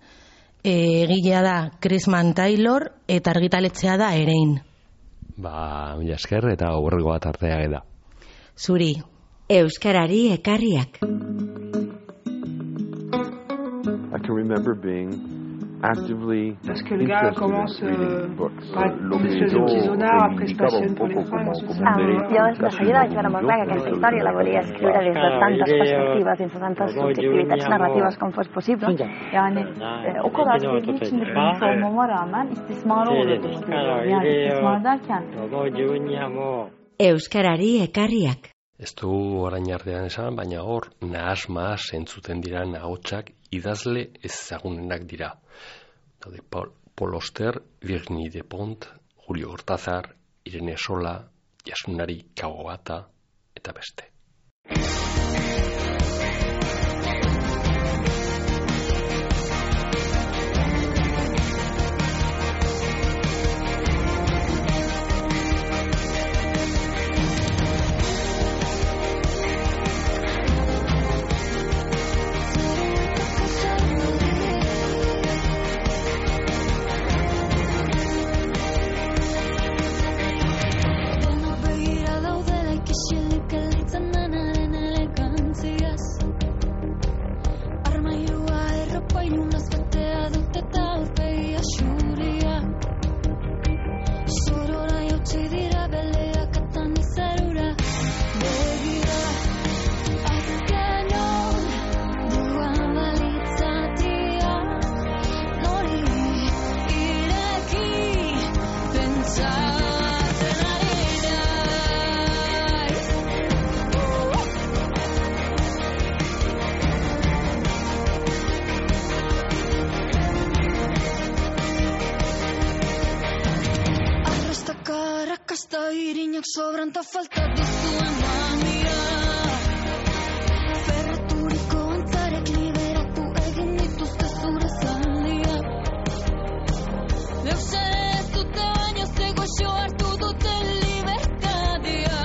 egilea da Cresman Taylor eta argitaletzea da Erein. Mila esker eta aurreko bat artea da. Zuri. Euskarari ekarriak. I can remember being Parce que le gars commence par des espèces de petits zonards, après se passionne pour les femmes. Yo de seguida vaig veure molt clar que aquesta història la volia escriure des de tantes perspectives, dins de tantes subjectivitats narratives com fos possible. Yani o kadar bilgi içinde bulmuş olmama rağmen istismara uğradığımı görüyorum. Yani istismar derken Euskarari ekarriak. Ez du orain artean esan, baina hor nahas-mahas entzuten dira ahotsak idazle ezagunenak dira. Daude Paul Auster, Virginie Despont, Julio Cortázar, Irene Sola, Yasunari Kawabata eta beste. Sobranta falta dizuen mamia Ferraturiko antzarek liberatu egin dituzte zure zaldia Deus ere ez dute baino zegoxo hartu dute libertadia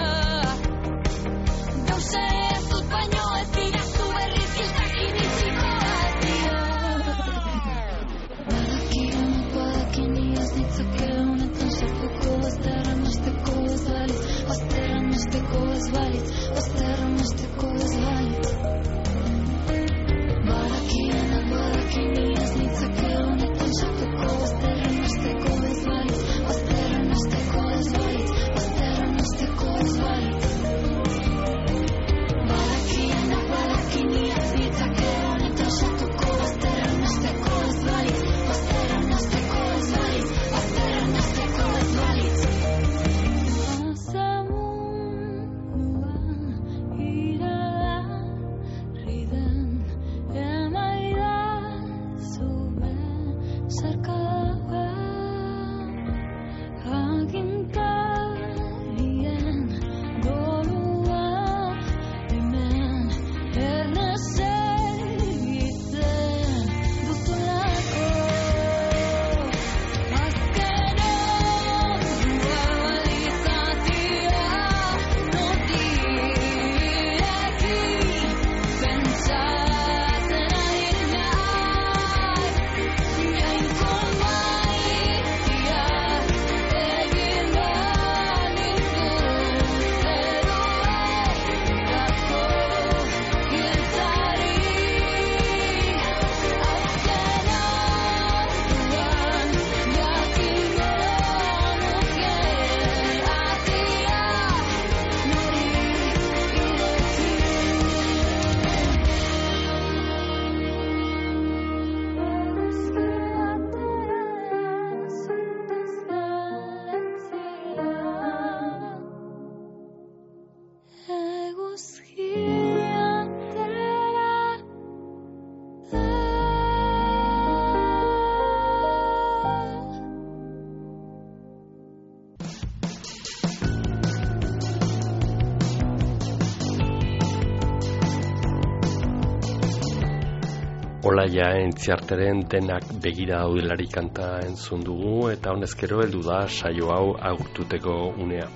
Deus ere ez dut baino ez dira zu berriz hiltakin itxiko atia Badakin iaz ditzake honetan sartuko bazterra masteko Masteko ez balit, bazterra masteko ez balit Badakin iaz nitzake honetan sartuko bazterra masteko ez balit Bazterra masteko ez balit, bazterra masteko ez balit Badakin iaz nitzake honetan sartuko bazterra masteko ez balit Bazterra masteko ez balit, bazterra masteko ez balit Olaia Entziarteren Denak begira daudelari kanta entzun dugu eta honezkero heldu da saio hau agurtuteko unea.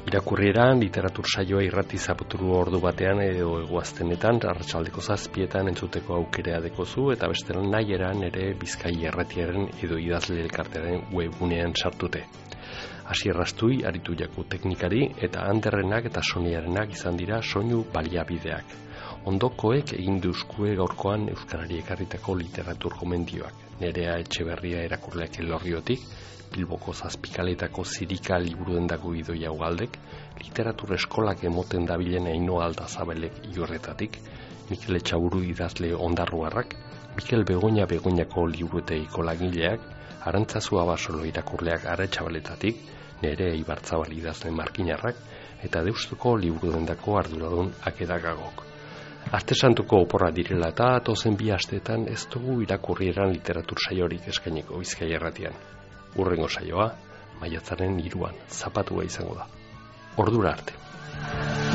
Irakurrieran literatur saioa irrati zaputuru ordu batean edo eguaztenetan arratsaldeko 7etan entzuteko aukera dekozu eta bestelan nahieran ere Bizkai Irratiaren edo idazle elkartearen webgunean sartute. Asier Rastui aritu jaku teknikari eta Anderrenak eta Soniarenak izan dira soinu baliabideak. Ondokoek egin duzkue gaurkoan Euskarari ekarritako literatur gomendioak. Nerea Etxeberria erakurleak Elorriotik, Bilboko Zazpikaletako Zirika liburudendako Idoia Ugaldek, literatur eskolak emoten dabilen Ainoa Aldazabelek Iorretatik, Mikel Etxaburu idazle Ondarruarrak, Mikel Begoñako liburutegiko lagileak, Arantzazu Abasolo irakurleak Aretxabaletatik, Nere Ibarzabal idazle Markinarrak, eta Deustuko liburudendako arduradun Akedagagok. Aste santuko oporra direla eta atozen 2 asteetan ez dugu irakurrieran literatur saiorik eskainiko Bizkaia Irratian. Hurrengo saioa, maiatzaren 3 zapatua izango da. Ordura arte.